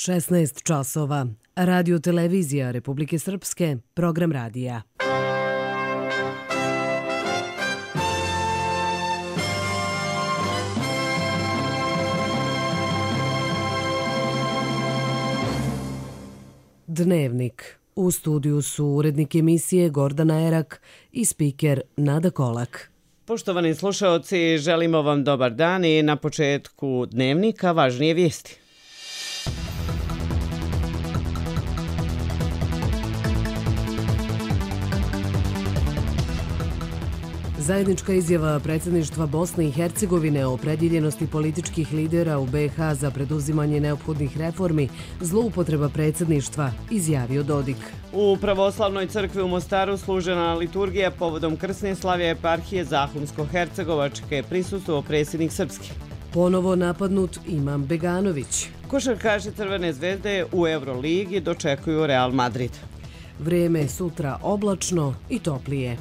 16 časova. Radio televizija Republike Srpske, program radija. Dnevnik. U studiju su urednik emisije Gordana Erak i spiker Nada Kolak. Poštovani slušaoci, želimo vam dobar dan i na početku dnevnika važnije vijesti. Zajednička izjava predsjedništva Bosne i Hercegovine o opredjeljenosti političkih lidera u BiH za preduzimanje neophodnih reformi, zloupotreba predsjedništva, izjavio Dodik. U pravoslavnoj crkvi u Mostaru služena liturgija povodom krsne slave eparhije Zahumsko-Hercegovačke, prisustvovao predsjednik Srpski. Ponovo napadnut Imam Beganović. Košarkaši Crvene zvezde u Euroligi dočekuju Real Madrid. Vrijeme sutra oblačno i toplije.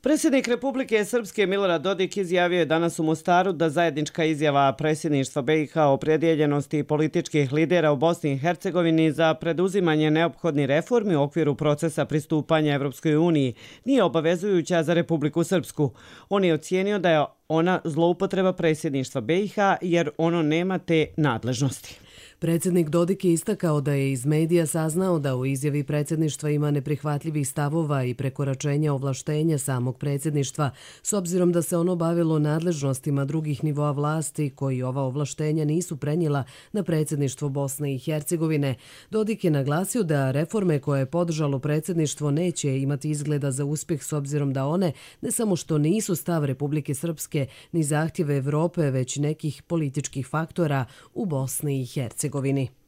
Predsjednik Republike Srpske Milorad Dodik izjavio je danas u Mostaru da zajednička izjava predsjedništva BiH o opredjeljenosti političkih lidera u Bosni i Hercegovini za preduzimanje neophodnih reformi u okviru procesa pristupanja Evropskoj uniji nije obavezujuća za Republiku Srpsku. On je ocijenio da je ona zloupotreba predsjedništva BiH jer ono nema te nadležnosti. Predsjednik Dodik je istakao da je iz medija saznao da u izjavi predsjedništva ima neprihvatljivih stavova i prekoračenja ovlaštenja samog predsjedništva, s obzirom da se ono bavilo nadležnostima drugih nivoa vlasti koji ova ovlaštenja nisu prenijela na predsjedništvo Bosne i Hercegovine. Dodik je naglasio da reforme koje je podržalo predsjedništvo neće imati izgleda za uspjeh s obzirom da one ne samo što nisu stav Republike Srpske ni zahtjeve Evrope, već nekih političkih faktora u Bosni i Hercegovini.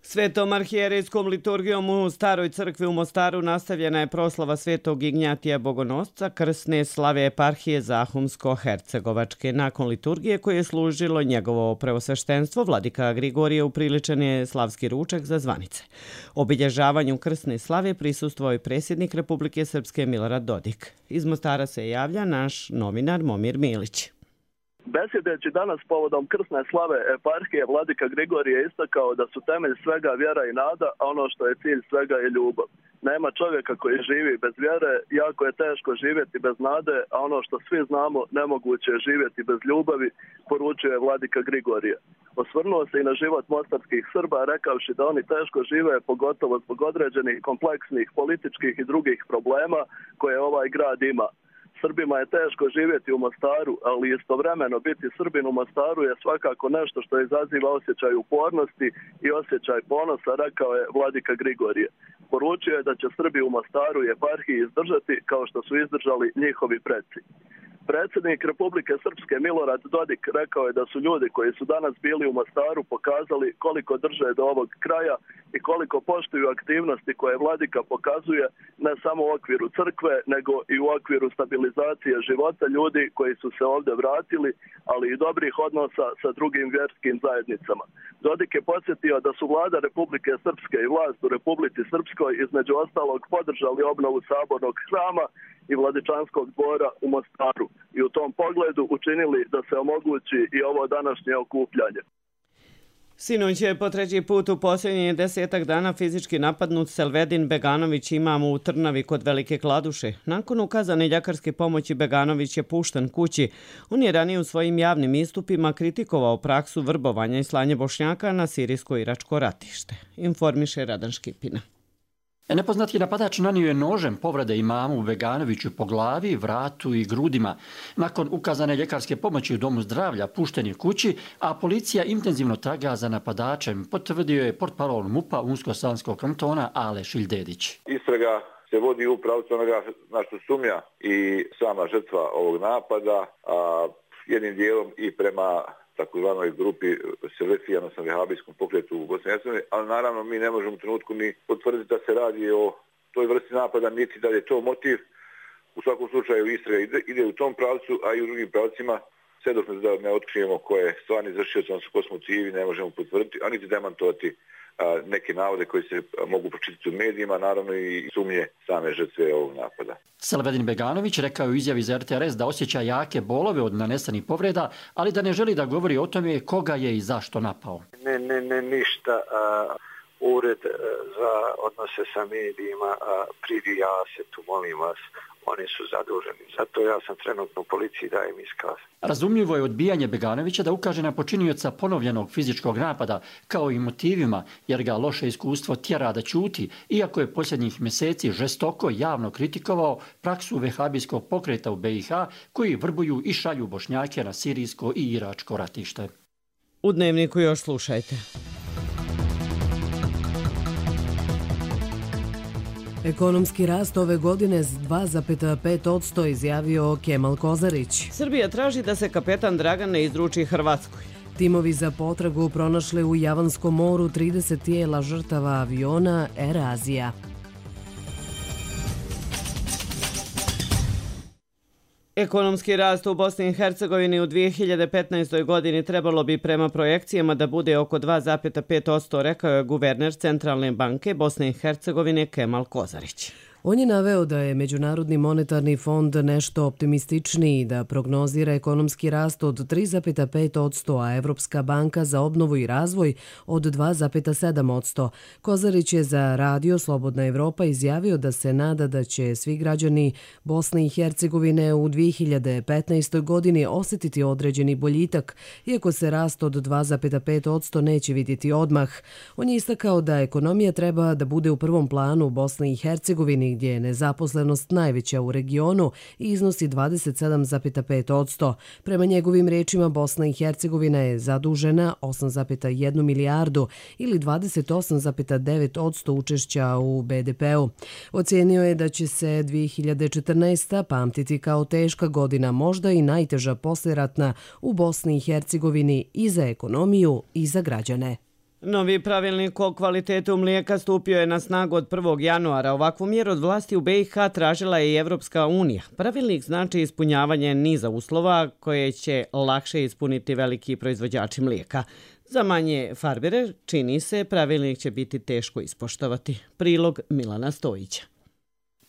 Svetom arhijerejskom liturgijom u Staroj crkvi u Mostaru nastavljena je proslava Svetog Ignjatija Bogonosca, krsne slave eparhije Zahumsko-Hercegovačke. Nakon liturgije koje je služilo njegovo preosveštenstvo, vladika Grigorije upriličen je slavski ručak za zvanice. Obilježavanju krsne slave prisustvovao je predsjednik Republike Srpske Milorad Dodik. Iz Mostara se javlja naš novinar Momir Milić. Besjedeći danas povodom krsne slave eparhije, vladika Grigorije je istakao da su temelj svega vjera i nada, a ono što je cilj svega je ljubav. Nema čovjeka koji živi bez vjere, jako je teško živjeti bez nade, a ono što svi znamo, nemoguće je živjeti bez ljubavi, poručuje vladika Grigorije. Osvrnuo se i na život mostarskih Srba, rekavši da oni teško žive, pogotovo zbog određenih kompleksnih političkih i drugih problema koje ovaj grad ima. Srbima je teško živjeti u Mostaru, ali istovremeno biti Srbin u Mostaru je svakako nešto što izaziva osjećaj upornosti i osjećaj ponosa, rekao je vladika Grigorije. Poručio je da će Srbi u Mostaru i eparhiji izdržati kao što su izdržali njihovi preci. Predsjednik Republike Srpske Milorad Dodik rekao je da su ljudi koji su danas bili u Mostaru pokazali koliko drže do ovog kraja i koliko poštuju aktivnosti koje vladika pokazuje ne samo u okviru crkve, nego i u okviru stabilizacije života ljudi koji su se ovdje vratili, ali i dobrih odnosa sa drugim vjerskim zajednicama. Dodik je podsjetio da su vlada Republike Srpske i vlast u Republici Srpskoj između ostalog podržali obnovu sabornog hrama i Vladičanskog dvora u Mostaru i u tom pogledu učinili da se omogući i ovo današnje okupljanje. Sinoć je po treći put u posljednjih 10 dana fizički napadnut Selvedin Beganović, imam u Trnavi kod Velike Kladuše. Nakon ukazane ljekarske pomoći Beganović je pušten kući. On je ranije u svojim javnim istupima kritikovao praksu vrbovanja i slanje Bošnjaka na sirijsko-iračko ratište. Informiše Radan Škipina. Nepoznati napadač nanio je nožem povrede imamu Beganoviću po glavi, vratu i grudima. Nakon ukazane ljekarske pomoći u domu zdravlja pušten je kući, a policija intenzivno traga za napadačem, potvrdio je portparol MUP-a Unsko-Sanskog kantona Ale Šiljdedić. Istraga se vodi u pravcu onoga na što sumnja i sama žrtva ovog napada, a jednim dijelom i prema takozvanoj grupi Selefija, odnosno vehabijskom pokretu u Bosni i Hercegovini, ali naravno mi ne možemo u trenutku ni potvrditi da se radi o toj vrsti napada, niti da je to motiv. U svakom slučaju istraga ide u tom pravcu, a i u drugim pravcima, sve dok ne otkrijemo ko je stvarni izvršioc, odnosno ko smo civi, ne možemo potvrditi, a niti demantovati neke navode koji se mogu pročitati u medijima, naravno i sumnje same žrtve ovog napada. Selvedin Beganović rekao je u izjavi za RTRS da osjeća jake bolove od nanesenih povreda, ali da ne želi da govori o tome koga je i zašto napao. Ne, ništa. Ured za odnose sa medijima privija se tu, molim vas. Oni su zaduženi. Zato ja sam trenutno u policiji, dajem iskaz. Razumljivo je odbijanje Beganovića da ukaže na počinioca ponovljenog fizičkog napada, kao i motivima, jer ga loše iskustvo tjera da ćuti, iako je posljednjih mjeseci žestoko javno kritikovao praksu vehabijskog pokreta u BiH, koji vrbuju i šalju Bošnjake na sirijsko i iračko ratište. U Dnevniku još slušajte. Ekonomski rast ove godine s 2,5% izjavio Kemal Kozarić. Srbija traži da se kapetan Dragan ne izruči Hrvatskoj. Timovi za potragu pronašli u Javanskom moru 30 tijela žrtava aviona Air Asia. Ekonomski rast u Bosni i Hercegovini u 2015. godini trebalo bi prema projekcijama da bude oko 2,5%, rekao je guverner Centralne banke Bosne i Hercegovine Kemal Kozarić. On je naveo da je Međunarodni monetarni fond nešto optimističniji, da prognozira ekonomski rast od 3,5%, a Evropska banka za obnovu i razvoj od 2,7%. Kozarić je za Radio Slobodna Evropa izjavio da se nada da će svi građani Bosne i Hercegovine u 2015. godini osjetiti određeni boljitak, iako se rast od 2,5% neće vidjeti odmah. On je istakao da ekonomija treba da bude u prvom planu u Bosni i Hercegovini, gdje je nezaposlenost najveća u regionu i iznosi 27,5%. Prema njegovim rečima, Bosna i Hercegovina je zadužena 8,1 milijardu ili 28,9% učešća u BDP-u. Ocijenio je da će se 2014. pamtiti kao teška godina, možda i najteža poslijeratna u Bosni i Hercegovini i za ekonomiju i za građane. Novi pravilnik o kvalitetu mlijeka stupio je na snagu od 1. januara. Ovakvu mjeru od vlasti u BiH tražila je i Evropska unija. Pravilnik znači ispunjavanje niza uslova koje će lakše ispuniti veliki proizvođači mlijeka. Za manje farmere, čini se, pravilnik će biti teško ispoštovati. Prilog Milana Stojića.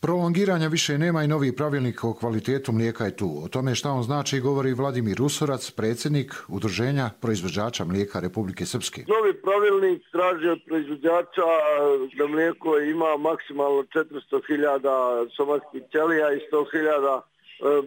Prolongiranja više nema i novi pravilnik o kvalitetu mlijeka je tu. O tome šta on znači govori Vladimir Usorac, predsjednik Udruženja proizvođača mlijeka Republike Srpske. Novi pravilnik traži od proizvođača da mlijeko ima maksimalno 400.000 somatskih ćelija i 100.000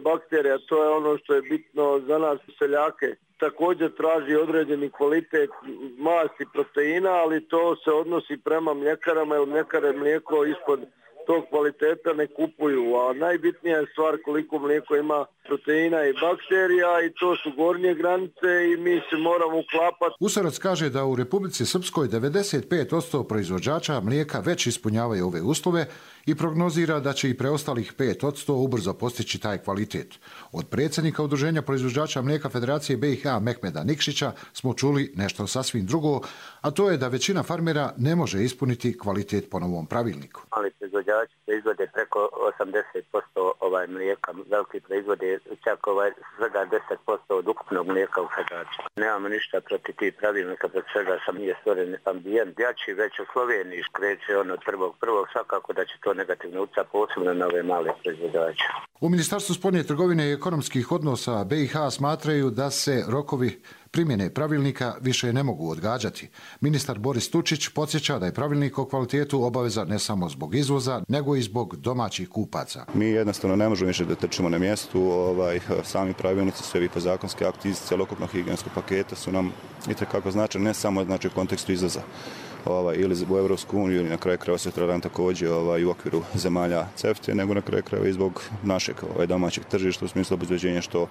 bakterija. To je ono što je bitno za nas seljake. Također traži određeni kvalitet masti proteina, ali to se odnosi prema mljekarama, jer mljekare mlijeko ispod tog kvaliteta ne kupuju, a najbitnija je stvar koliko mlijeko ima proteina i bakterija i to su gornje granice i mi se moramo uklapati. Usorac kaže da u Republici Srpskoj 95% proizvođača mlijeka već ispunjavaju ove uslove i prognozira da će i preostalih 5% ubrzo postići taj kvalitet. Od predsjednika Udruženja proizvođača mlijeka Federacije BiH Mehmeda Nikšića smo čuli nešto sasvim drugo, a to je da većina farmera ne može ispuniti kvalitet po novom pravilniku. Mali proizvođači proizvode preko 80% mlijeka, veliki proizvode čak svega 10% od ukupnog mlijeka u Federaciji. Nemamo ništa protiv tih pravilnika, protiv svega sam nije stvoren ambijent. Jači već u Sloveniji kreće od 1.1. svakako da će to negativno utjecati posebno na ove male proizvođače. U Ministarstvu spoljne trgovine i ekonomskih odnosa BiH smatraju da se rokovi primjene pravilnika više ne mogu odgađati. Ministar Boris Tučić podsjeća da je pravilnik o kvalitetu obaveza ne samo zbog izvoza, nego i zbog domaćih kupaca. Mi jednostavno ne možemo više da trčimo na mjestu. Sami pravilnici, sve vi zakonski akti iz celokupnog higijenskog paketa su nam itekako značajni, ne samo u kontekstu izvoza ili u Evropsku uniju ili na kraju krajeva sutradan također i u okviru zemalja CEFTA, nego na kraju krajeva i zbog našeg domaćeg tržišta u smislu obezbeđenja što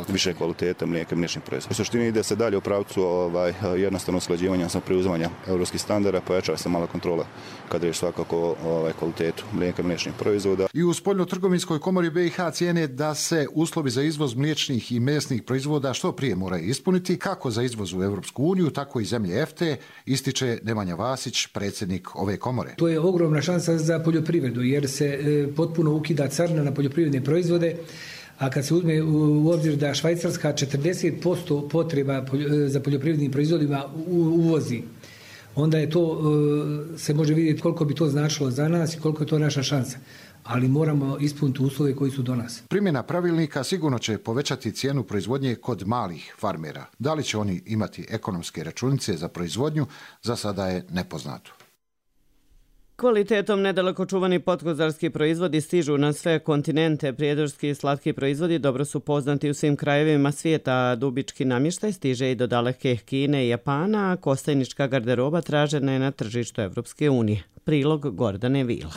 više kvaliteta mlijeka i mliječnih proizvoda. U suštini ide se dalje u pravcu jednostavno usklađivanja sa preuzimanja evropskih standarda, pojačava se mala kontrola kada je svakako kvalitetu mlijeka i mliječnih proizvoda. I u Spoljno-trgovinskoj komori BiH cijene da se uslovi za izvoz mliječnih i mesnih proizvoda što prije moraju ispuniti, kako za izvoz u Evropsku uniju, tako i zemlje EFTA, ističe Nemanja Vasić, predsjednik ove komore. To je ogromna šansa za poljoprivredu jer se potpuno ukida carina na poljoprivredne proizvode, a kad se uzme u obzir da Švajcarska 40% potreba za poljoprivrednim proizvodima uvozi. onda je to, se može vidjeti koliko bi to značilo za nas i koliko je to naša šansa. Ali moramo ispuniti uslove koji su do nas. Primjena pravilnika sigurno će povećati cijenu proizvodnje kod malih farmera. Da li će oni imati ekonomske računice za proizvodnju, za sada je nepoznato. Kvalitetom nedaleko čuvani potkozarski proizvodi stižu na sve kontinente. Prijedorski i slatki proizvodi dobro su poznati u svim krajevima svijeta. Dubički namještaj stiže i do daleke Kine i Japana, a kostajnička garderoba tražena je na tržištu Evropske unije. Prilog Gordane Vila.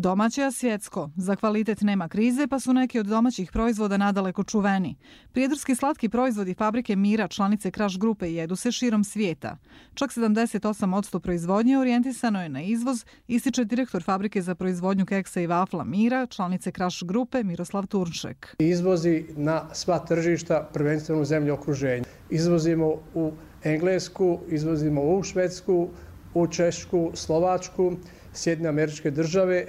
Domaće, a svjetsko. Za kvalitet nema krize, pa su neki od domaćih proizvoda nadaleko čuveni. Prijedorski slatki proizvodi fabrike Mira, članice Kraš grupe, jedu se širom svijeta. Čak 78% proizvodnje orijentisano je na izvoz, ističe direktor fabrike za proizvodnju keksa i vafla Mira, članice Kraš grupe, Miroslav Turnšek. Izvozi na sva tržišta, prvenstveno u zemlje okruženja. Izvozimo u Englesku, izvozimo u Švedsku, u Češku, Slovačku, Sjedinjene Američke Države,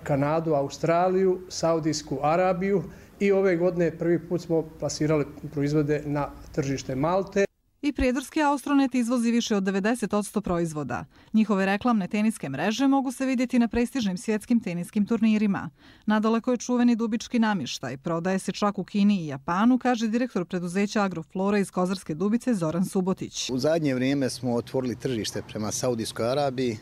Kanadu, Australiju, Saudijsku Arabiju i ove godine prvi put smo plasirali proizvode na tržište Malte. I prijedorski Austronet izvozi više od 90% proizvoda. Njihove reklamne teniske mreže mogu se vidjeti na prestižnim svjetskim teniskim turnirima. Nadaleko je čuveni dubički namještaj. Prodaje se čak u Kini i Japanu, kaže direktor preduzeća Agroflora iz Kozarske Dubice Zoran Subotić. U zadnje vrijeme smo otvorili tržište prema Saudijskoj Arabiji.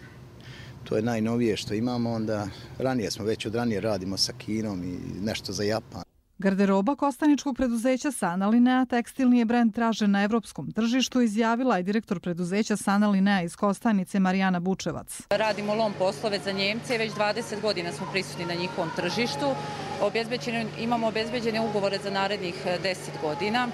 To je najnovije što imamo, onda ranije smo već od ranije radimo sa Kinom i nešto za Japan. Garderoba kostaničkog preduzeća Sana Linea, tekstilni je brend tražen na evropskom tržištu, izjavila je direktor preduzeća Sana Linea iz Kostajnice Marijana Bučevac. Radimo lom poslove za Njemce, već 20 godina smo prisutni na njihovom tržištu. Imamo obezbeđene ugovore za narednih 10 godina.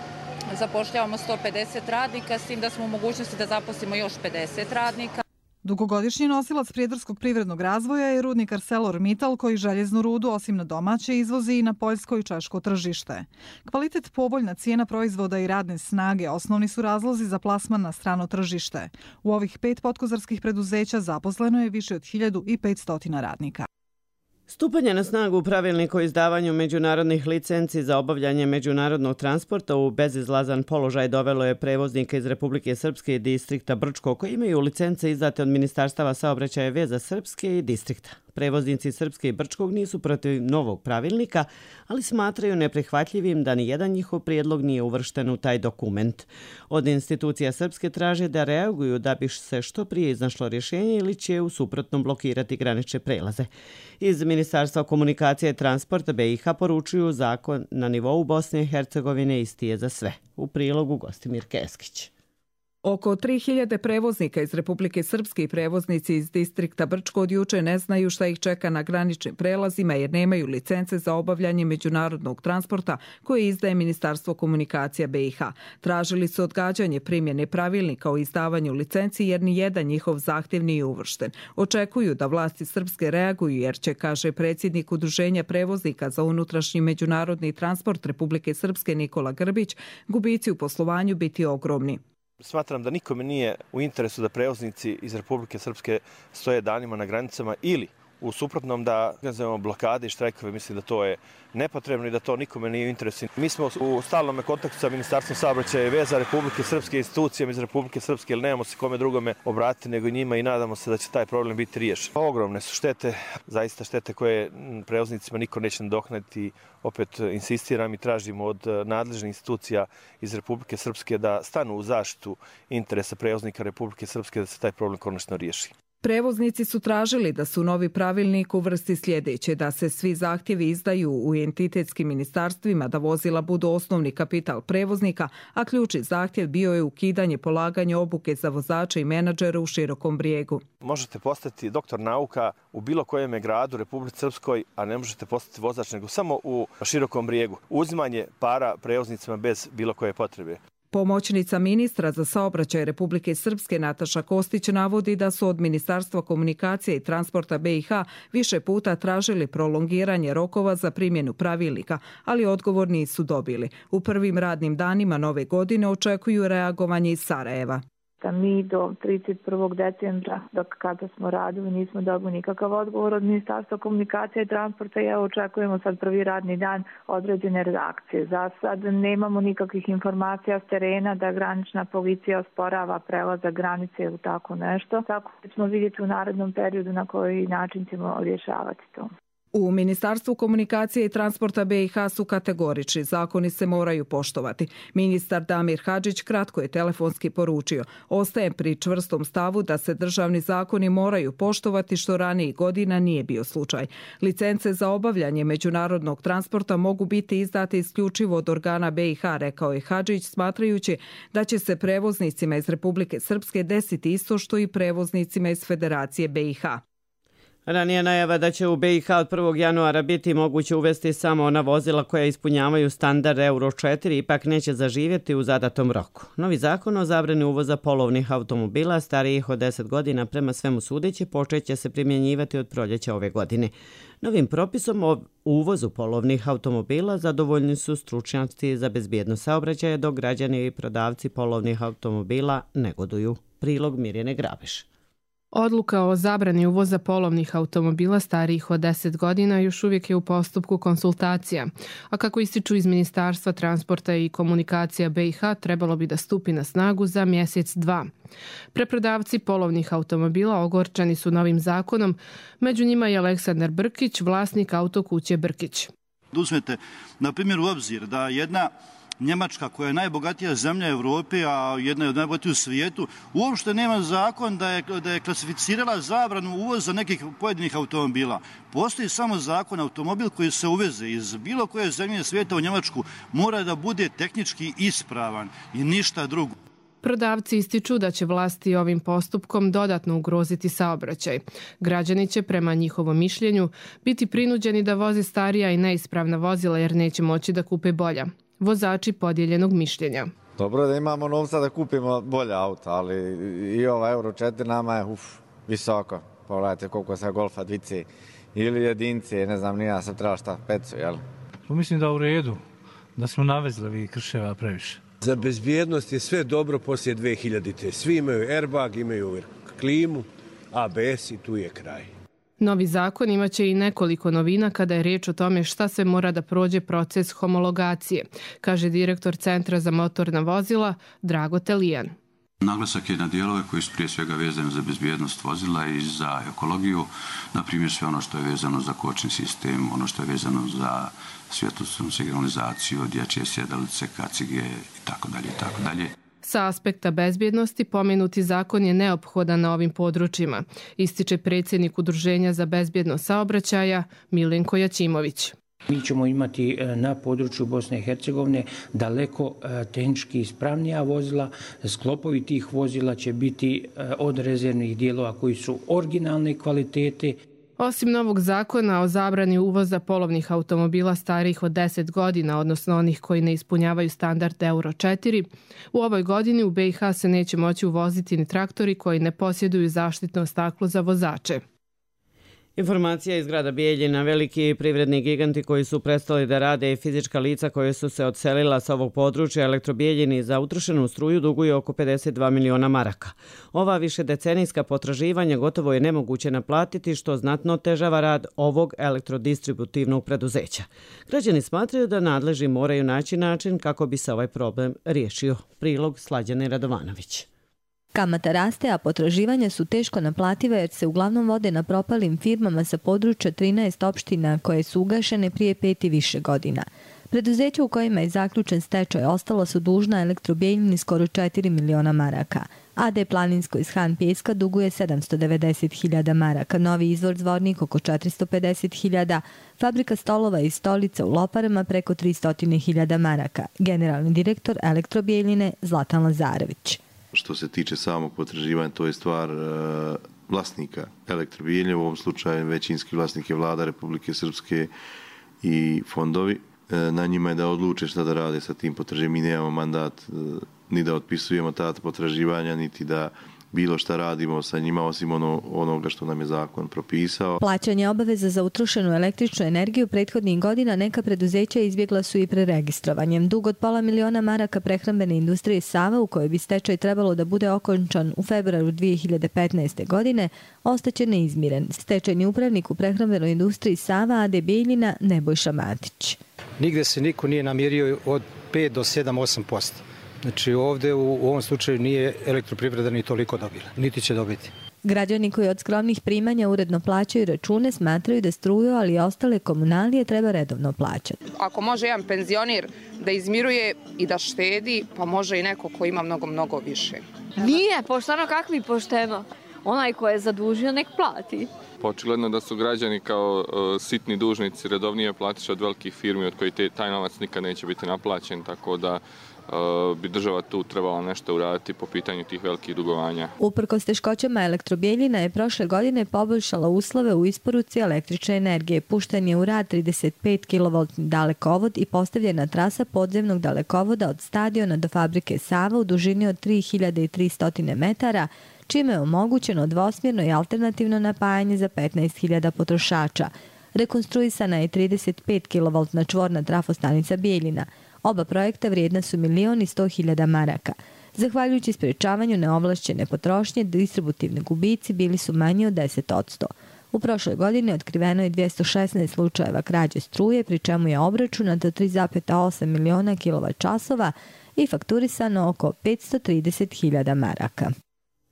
Zapošljavamo 150 radnika, s tim da smo u mogućnosti da zaposlimo još 50 radnika. Dugogodišnji nosilac prijedorskog privrednog razvoja je rudnik ArcelorMittal koji željeznu rudu osim na domaće izvozi i na poljsko i češko tržište. Kvalitet, povoljna cijena proizvoda i radne snage osnovni su razlozi za plasman na strano tržište. U ovih 5 potkozarskih preduzeća zaposleno je više od 1500 radnika. Stupanje na snagu pravilnika o izdavanju međunarodnih licenci za obavljanje međunarodnog transporta u bezizlazan položaj dovelo je prevoznike iz Republike Srpske i distrikta Brčko koji imaju licence izdate od Ministarstava saobraćaja i veza Srpske i distrikta. Prevoznici Srpske i Brčkog nisu protiv novog pravilnika, ali smatraju neprihvatljivim da ni jedan njihov prijedlog nije uvršten u taj dokument. Od institucija Srpske traže da reaguju da bi se što prije iznašlo rješenje ili će u suprotnom blokirati granične prelaze. Iz Ministarstva komunikacije i transporta BiH poručuju zakon na nivou Bosne i Hercegovine isti je za sve. U prilogu Gostimir Keskić. Oko 3000 prevoznika iz Republike Srpske i prevoznici iz distrikta Brčko od juče ne znaju šta ih čeka na graničnim prelazima jer nemaju licence za obavljanje međunarodnog transporta koje izdaje Ministarstvo komunikacija BiH. Tražili su odgađanje primjene pravilnika o izdavanju licenci jer ni jedan njihov zahtjev nije uvršten. Očekuju da vlasti Srpske reaguju jer će, kaže predsjednik Udruženja prevoznika za unutrašnji međunarodni transport Republike Srpske Nikola Grbić, gubici u poslovanju biti ogromni. Smatram da nikome nije u interesu da prevoznici iz Republike Srpske stoje danima na granicama ili u suprotnom da organizujemo blokade i štrajkove. Mislim da to je nepotrebno i da to nikome nije u interesu. Mi smo u stalnom kontaktu sa Ministarstvom saobraćaja i veza Republike Srpske, institucijama iz Republike Srpske, jer nemamo se kome drugome obratiti nego njima i nadamo se da će taj problem biti riješen. Ogromne su štete, zaista štete koje prevoznicima niko neće nadoknaditi. Opet insistiram i tražimo od nadležnih institucija iz Republike Srpske da stanu u zaštitu interesa prevoznika Republike Srpske da se taj problem konačno riješi. Prevoznici su tražili da su novi pravilnik uvrsti sljedeće, da se svi zahtjevi izdaju u entitetskim ministarstvima, da vozila budu osnovni kapital prevoznika, a ključni zahtjev bio je ukidanje polaganja obuke za vozače i menadžere u Širokom Brijegu. Možete postati doktor nauka u bilo kojem gradu Republike Srpskoj, a ne možete postati vozač nego samo u Širokom Brijegu. Uzimanje para prevoznicima bez bilo koje potrebe. Pomoćnica ministra za saobraćaj Republike Srpske Nataša Kostić navodi da su od Ministarstva komunikacije i transporta BiH više puta tražili prolongiranje rokova za primjenu pravilnika, ali odgovor nisu dobili. U prvim radnim danima nove godine očekuju reagovanje iz Sarajeva. Da mi do 31. decembra, dok kada smo radili, nismo dobili nikakav odgovor od Ministarstva komunikacije i transporta i evo očekujemo sad prvi radni dan određene reakcije. Za sad nemamo nikakvih informacija s terena da granična policija osporava prelazak granice ili tako nešto. Tako da ćemo vidjeti u narednom periodu na koji način ćemo rješavati to. U Ministarstvu komunikacije i transporta BiH su kategorični, zakoni se moraju poštovati. Ministar Damir Hadžić kratko je telefonski poručio: ostajem pri čvrstom stavu da se državni zakoni moraju poštovati, što ranijih godina nije bio slučaj. Licence za obavljanje međunarodnog transporta mogu biti izdate isključivo od organa BiH, rekao je Hadžić, smatrajući da će se prevoznicima iz Republike Srpske desiti isto što i prevoznicima iz Federacije BiH. Ranije najava da će u BiH od 1. januara biti moguće uvesti samo ona vozila koja ispunjavaju standard Euro 4 ipak neće zaživjeti u zadatom roku. Novi zakon o zabrani uvoza polovnih automobila starijih od 10 godina prema svemu sudeći počeće se primjenjivati od proljeća ove godine. Novim propisom o uvozu polovnih automobila zadovoljni su stručnjaci za bezbjednost saobraćaja, dok građani i prodavci polovnih automobila negoduju. Prilog Mirjane Grabeš. Odluka o zabrani uvoza polovnih automobila starijih od 10 godina još uvijek je u postupku konsultacija, a kako ističu iz Ministarstva transporta i komunikacija BiH, trebalo bi da stupi na snagu za mjesec, dva. Preprodavci polovnih automobila ogorčani su novim zakonom, među njima je Aleksandar Brkić, vlasnik autokuće Brkić. Uzmete, na primjer, u obzir da jedna Njemačka, koja je najbogatija zemlja u Europi, a jedna je od najbogatijih u svijetu, uopšte nema zakon da je klasificirala zabranu uvoza nekih pojedinih automobila. Postoji samo zakon, automobil koji se uveze iz bilo koje zemlje svijeta u Njemačku mora da bude tehnički ispravan i ništa drugo. Prodavci ističu da će vlasti ovim postupkom dodatno ugroziti saobraćaj. Građani će, prema njihovom mišljenju, biti prinuđeni da voze starija i neispravna vozila jer neće moći da kupe bolja. Vozači podijeljenog mišljenja. Dobro da imamo novca da kupimo bolja auta, ali i ova Euro 4 nama je visoko. Pogledajte koliko se Golfa dvice ili jedince, ne znam, nija sam trebala šta, pecu, jel? Mislim da u redu, da smo navezli krševa previše. Za bezbjednost je sve dobro poslije 2000-te. Svi imaju airbag, imaju klimu, ABS i tu je kraj. Novi zakon imaće i nekoliko novina kada je riječ o tome šta se mora da prođe proces homologacije, kaže direktor Centra za motorna vozila Drago Telijan. Naglasak je na dijelove koji su prije svega vezani za bezbjednost vozila i za ekologiju, na primjer sve ono što je vezano za kočni sistem, ono što je vezano za svjetlosnu signalizaciju, dječje sjedalice, kacige itd. Sa aspekta bezbjednosti pomenuti zakon je neophodan na ovim područjima, ističe predsjednik Udruženja za bezbjednost saobraćaja Milenko Jačimović. Mi ćemo imati na području Bosne i Hercegovine daleko tehnički ispravnija vozila. Sklopovi tih vozila će biti od rezervnih dijelova koji su originalne kvalitete. Osim novog zakona o zabrani uvoza polovnih automobila starijih od 10 godina, odnosno onih koji ne ispunjavaju standard Euro 4, u ovoj godini u BiH se neće moći uvoziti ni traktori koji ne posjeduju zaštitno staklo za vozače. Informacija iz grada Bijeljina. Veliki privredni giganti koji su prestali da rade i fizička lica koje su se odselila sa ovog područja Elektrobijeljini za utrošenu struju duguju oko 52 miliona maraka. Ova višedecenijska potraživanja gotovo je nemoguće naplatiti, što znatno otežava rad ovog elektrodistributivnog preduzeća. Građani smatraju da nadležni moraju naći način kako bi se ovaj problem riješio. Prilog Slađane Radovanović. Kamata raste, a potraživanja su teško naplativa jer se uglavnom vode na propalim firmama sa područja 13 opština koje su ugašene prije 5 i više godina. Preduzeća u kojima je zaključen stečaj ostalo su dužna Elektrobijeljini skoro 4 miliona maraka. AD Planinsko iz Han Pjeska duguje 790.000 maraka, Novi izvor Zvornik oko 450.000, fabrika stolova i stolica u Loparama preko 300.000 maraka. Generalni direktor Elektrobijeljine Zlatan Lazarević. Što se tiče samog potraživanja, to je stvar vlasnika Elektrobijeljine, u ovom slučaju većinski vlasnik je vlada Republike Srpske i fondovi. Na njima je da odluče šta da rade sa tim potraživanjem. Mi nemamo mandat ni da otpisujemo ta potraživanja, niti da bilo šta radimo sa njima osim onoga što nam je zakon propisao. Plaćanje obaveza za utrošenu električnu energiju prethodnih godina neka preduzeća izbjegla su i preregistrovanjem. Dug od £500.000 maraka prehrambene industrije Sava, u kojoj bi stečaj trebalo da bude okončan u februaru 2015. godine, ostaće neizmiren. Stečajni upravnik u prehrambenoj industriji Sava A.D. Bijeljina Nebojša Matić. Nigde se niko nije namirio od 5 do 7-8%. Znači ovdje u ovom slučaju nije elektroprivreda ni toliko dobila, niti će dobiti. Građani koji od skromnih primanja uredno plaćaju račune smatraju da struju, ali i ostale komunalije treba redovno plaćati. Ako može jedan penzioner da izmiruje i da štedi, pa može i neko ko ima mnogo više. Nije, pošteno kakvi pošteno. Onaj ko je zadužio nek plati. Očigledno da su građani kao sitni dužnici redovnije platiše od velikih firmi od koji taj novac nikad neće biti naplaćen, tako da bi država tu trebala nešto uraditi po pitanju tih velikih dugovanja. Uprkos teškoćama Elektrobijeljina je prošle godine poboljšala uslove u isporuci električne energije. Pušten je u rad 35 kV dalekovod i postavljena trasa podzemnog dalekovoda od stadiona do fabrike Sava u dužini od 3300 metara, čime je omogućeno dvosmjerno i alternativno napajanje za 15.000 potrošača. Rekonstruisana je 35 kV čvorna trafostanica Bijeljina. Oba projekta vrijedna su 1.100.000 maraka. Zahvaljujući sprečavanju neovlašćene potrošnje, distributivni gubici bili su manji od 10%. U prošloj godini otkriveno je 216 slučajeva krađe struje, pri čemu je obračunato 3,8 miliona kWh i fakturisano oko 530.000 maraka.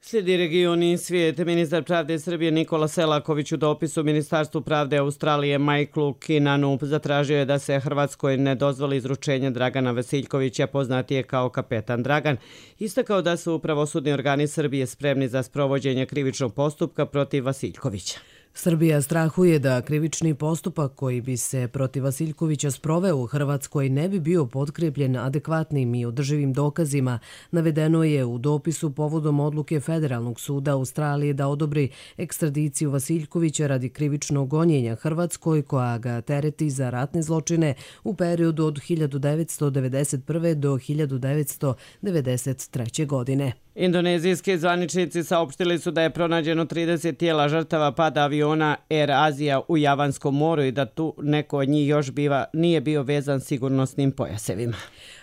Slijedi regioni svijet. Ministar pravde Srbije Nikola Selaković u dopisu Ministarstvu pravde Australije Michaelu Kinanu zatražio je da se Hrvatskoj ne dozvoli izručenje Dragana Vasiljkovića, poznatije kao kapetan Dragan. Istakao da su pravosudni organi Srbije spremni za sprovođenje krivičnog postupka protiv Vasiljkovića. Srbija strahuje da krivični postupak koji bi se protiv Vasiljkovića sproveo u Hrvatskoj ne bi bio potkrepljen adekvatnim i održivim dokazima, navedeno je u dopisu povodom odluke Federalnog suda Australije da odobri ekstradiciju Vasiljkovića radi krivičnog gonjenja Hrvatskoj koja ga tereti za ratne zločine u periodu od 1991. do 1993. godine. Indonezijski zvaničnici saopštili su da je pronađeno 30 tijela žrtava pada aviona Air Asia u Javanskom moru i da tu neko od njih još nije bio vezan sigurnosnim pojasevima.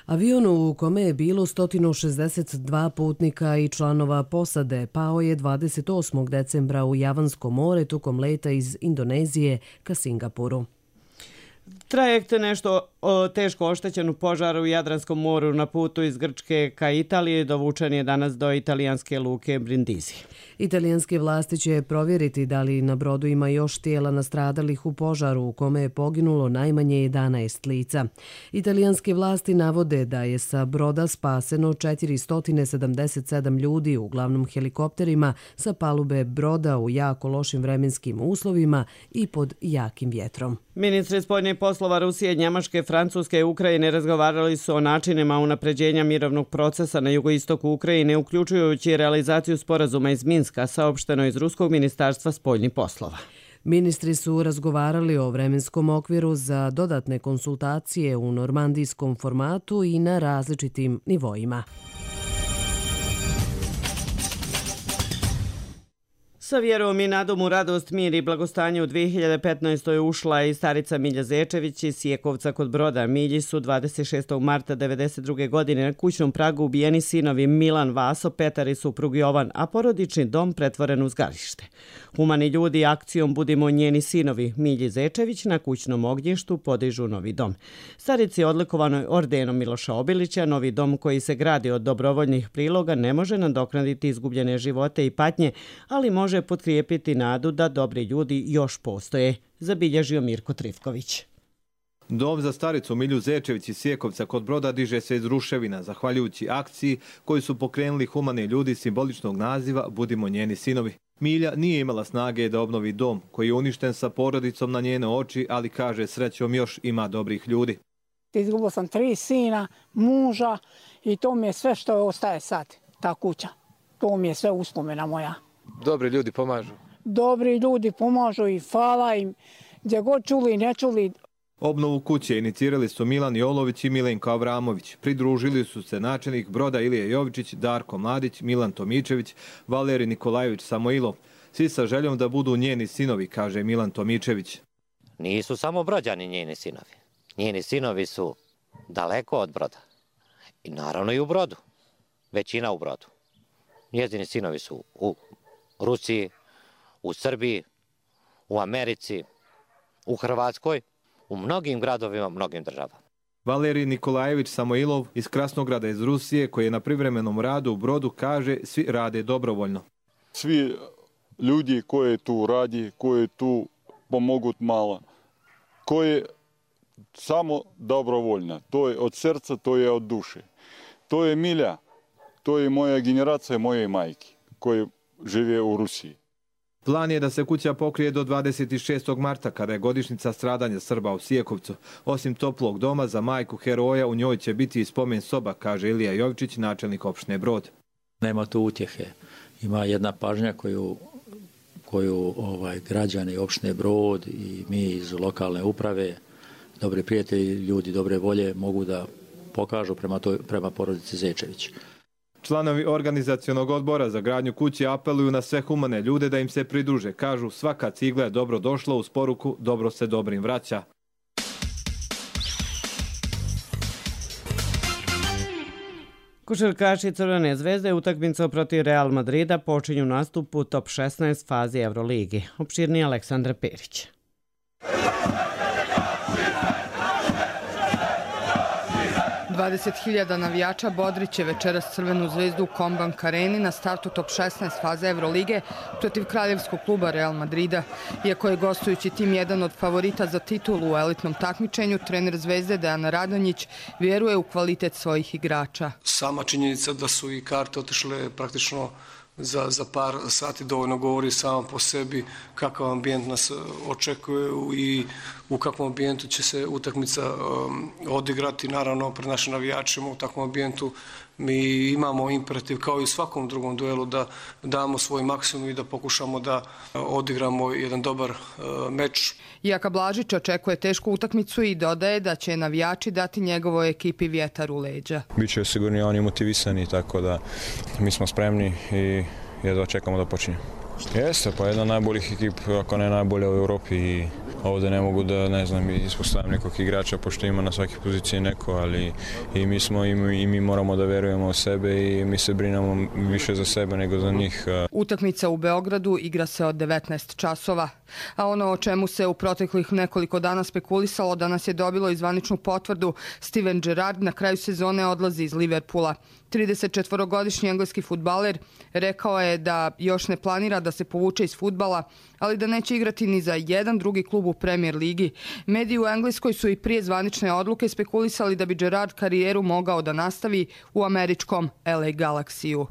Avion u kome je bilo 162 putnika i članova posade pao je 28. decembra u Javansko more tokom leta iz Indonezije ka Singapuru. Trajekt nešto teško oštećen u požaru u Jadranskom moru na putu iz Grčke ka Italiji dovučen je danas do italijanske luke Brindisi. Italijanske vlasti će provjeriti da li na brodu ima još tijela nastradalih u požaru u kome je poginulo najmanje 11 lica. Italijanske vlasti navode da je sa broda spaseno 477 ljudi, uglavnom helikopterima, sa palube broda u jako lošim vremenskim uslovima i pod jakim vjetrom. Ministri spoljnih poslova Rusije, Njemačke, Francuske i Ukrajine razgovarali su o načinima unapređenja mirovnog procesa na jugoistoku Ukrajine, uključujući realizaciju sporazuma iz Minska, saopšteno iz Ruskog ministarstva spoljnih poslova. Ministri su razgovarali o vremenskom okviru za dodatne konsultacije u normandijskom formatu i na različitim nivoima. Sa vjerom i nadom u radost, mir i blagostanje u 2015. ušla i starica Milja Zečević iz Sjekovca kod Broda. Milji su 26. marta 1992. godine na kućnom pragu ubijeni sinovi Milan, Vaso, Petar i suprug Jovan, a porodični dom pretvoren u zgarište. Humani ljudi akcijom Budimo njeni sinovi Milji Zečević na kućnom ognjištu podižu novi dom. Starici odlikovanoj ordenom Miloša Obilića, novi dom koji se gradi od dobrovoljnih priloga ne može nadoknaditi izgubljene živote i patnje, ali može potkrijepiti nadu da dobri ljudi još postoje, zabilježio Mirko Trifković. Dom za staricu Milju Zečević iz Sjekovca kod Broda diže se iz ruševina, zahvaljujući akciji koju su pokrenuli humani ljudi simboličnog naziva Budimo njeni sinovi. Milja nije imala snage da obnovi dom koji je uništen sa porodicom na njene oči, ali kaže srećom još ima dobrih ljudi. Izgubila sam 3 sina, muža i to mi je sve što ostaje sad, ta kuća. To mi je sve uspomena moja. Dobri ljudi pomažu. Dobri ljudi pomažu i hvala im. Gdje god čuli i ne čuli, Obnovu kuće inicirali su Milan Jolović i Milenko Avramović. Pridružili su se načelnik Broda Ilija Jovičić, Darko Mladić, Milan Tomičević, Valerij Nikolajević Samoilov. Svi sa željom da budu njeni sinovi, kaže Milan Tomičević. Nisu samo Brođani njeni sinovi. Njeni sinovi su daleko od Broda. I naravno i u Brodu. Većina u Brodu. Njezini sinovi su u Rusiji, u Srbiji, u Americi, u Hrvatskoj, u mnogim gradovima, mnogim državama. Valerij Nikolajević Samoilov iz Krasnograda iz Rusije, koji je na privremenom radu u Brodu, kaže svi rade dobrovoljno. Svi ljudi koji tu radi, koji tu pomogu malo, koji samo dobrovoljno. To je od srca, to je od duše. To je Milja, to je moja generacija moje majke koji žive u Rusiji. Plan je da se kuća pokrije do 26. marta, kada je godišnjica stradanja Srba u Sijekovcu. Osim toplog doma za majku heroja, u njoj će biti i spomen soba, kaže Ilija Jovičić, načelnik opštine Brod. Nema tu utjehe. Ima jedna pažnja koju građani opštine Brod i mi iz lokalne uprave, dobri prijatelji, ljudi dobre volje mogu da pokažu prema porodici Zečević. Članovi organizacionog odbora za gradnju kuće apeluju na sve humane ljude da im se pridruže. Kažu, svaka cigla je dobro došla, uz poruku dobro se dobrim vraća. Košarkaši Crvene zvezde utakmicu protiv Real Madrida počinju nastup u top 16 fazi Euroligi. Opširniji Aleksandar Perić. 20.000 navijača bodriće večeras Crvenu zvezdu u Kombank Areni na startu top 16 faze Evrolige protiv kraljevskog kluba Real Madrida. Iako je gostujući tim jedan od favorita za titulu u elitnom takmičenju, trener Zvezde Dejan Radonjić vjeruje u kvalitet svojih igrača. Sama činjenica da su i karte otišle praktično za par sati dovoljno govori samo po sebi kakav ambijent nas očekuje i u kakvom ambijentu će se utakmica odigrati. Naravno, pred našim navijačima u takvom ambijentu mi imamo imperativ kao i u svakom drugom duelu da damo svoj maksimum i da pokušamo da odigramo jedan dobar meč. Jaka Blažić očekuje tešku utakmicu i dodaje da će navijači dati njegovoj ekipi vjetar u leđa. Biće sigurni oni motivisani, tako da mi smo spremni i jedva čekamo da počinje. Jeste, pa jedna od najboljih ekip, ako ne najbolja u Europi i ovdje ne mogu da, ispostavim nekog igrača, pošto ima na svaki poziciji neko, ali i mi moramo da verujemo u sebe i mi se brinemo više za sebe nego za njih. Utakmica u Beogradu igra se od 19 časova. A ono o čemu se u proteklih nekoliko dana spekulisalo danas je dobilo i zvaničnu potvrdu. Steven Gerrard na kraju sezone odlazi iz Liverpoola. 34-godišnji engleski fudbaler rekao je da još ne planira da se povuče iz fudbala, ali da neće igrati ni za jedan drugi klub u Premier ligi. Mediji u Engleskoj su i prije zvanične odluke spekulisali da bi Gerrard karijeru mogao da nastavi u američkom LA Galaxy-u.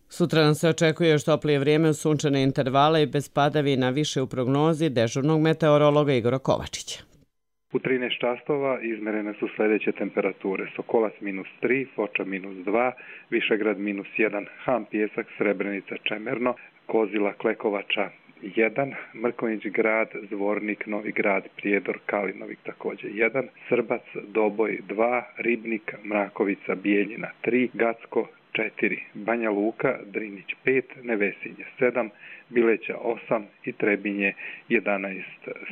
Sutra nam se očekuje još toplije vrijeme uz sunčane intervale i bez padavina, više u prognozi dežurnog meteorologa Igora Kovačića. U 13 časova izmerene su sljedeće temperature: Sokolac -3, Foča -2, Višegrad -1, Han, Pijesak, Srebrenica, Čemerno, Kozila, Klekovača 1, Mrkonjić grad, Zvornik, Novi grad, Prijedor, Kalinovik također 1, Srbac, Doboj 2, Ribnik, Mrakovica, Bijeljina 3, Gacko 4, Banja Luka, Drinić 5, Nevesinje 7, Bileća 8 i Trebinje 11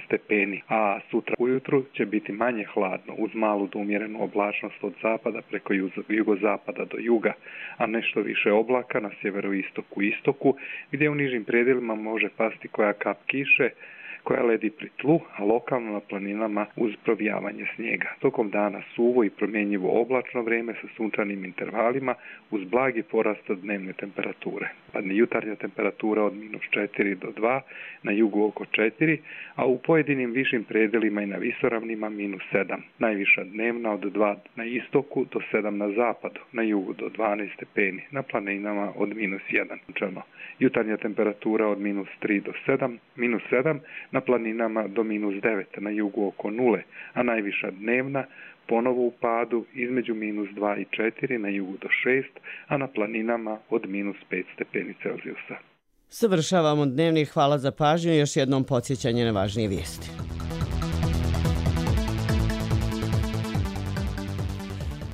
stepeni. A sutra ujutru će biti manje hladno uz malu do umjerenu oblačnost od zapada preko jugozapada do juga, a nešto više oblaka na sjeveroistoku i istoku, gdje u nižim predjelima može pasti koja kap kiše koja ledi pri tlu, a lokalno na planinama uz provijavanje snijega. Tokom dana suvo i promjenjivo oblačno vrijeme sa sunčanim intervalima uz blagi porast dnevne temperature. Padne jutarnja temperatura od -4 do 2, na jugu oko 4, a u pojedinim višim predjelima i na visoravnima -7. Najviša dnevna od 2 na istoku do 7 na zapadu, na jugu do 12 stepeni, na planinama od -1. Jutarnja temperatura od -3 do 7, na planinama do -9, na jugu oko 0, a najviša dnevna ponovo u padu između -2 i 4, na jugu do 6, a na planinama od -5 stepeni Celzijusa. Završavamo dnevnik. Hvala za pažnju i još jednom podsjećanje na važnije vijesti.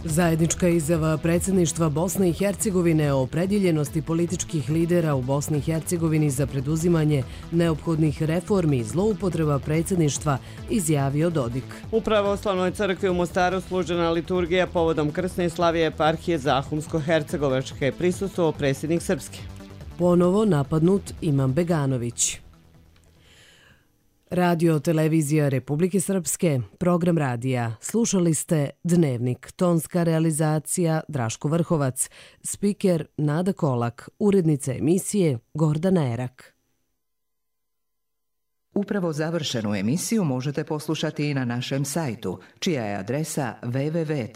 Zajednička izjava predsjedništva Bosne i Hercegovine o opredjeljenosti političkih lidera u Bosni i Hercegovini za preduzimanje neophodnih reformi i zloupotreba predsjedništva, izjavio Dodik. U Pravoslavnoj crkvi u Mostaru služena liturgija povodom krsne slavije eparhije Zahumsko-Hercegovačke, prisustvovao predsjednik Srpske. Ponovo napadnut Imam Beganović. Radio televizija Republike Srpske, program radija. Slušali ste Dnevnik, tonska realizacija Draško Vrhovac, spiker Nada Kolak, urednica emisije Gordana Erak. Upravo završenu emisiju možete poslušati i na našem sajtu, čija je adresa www.rtrs.tv.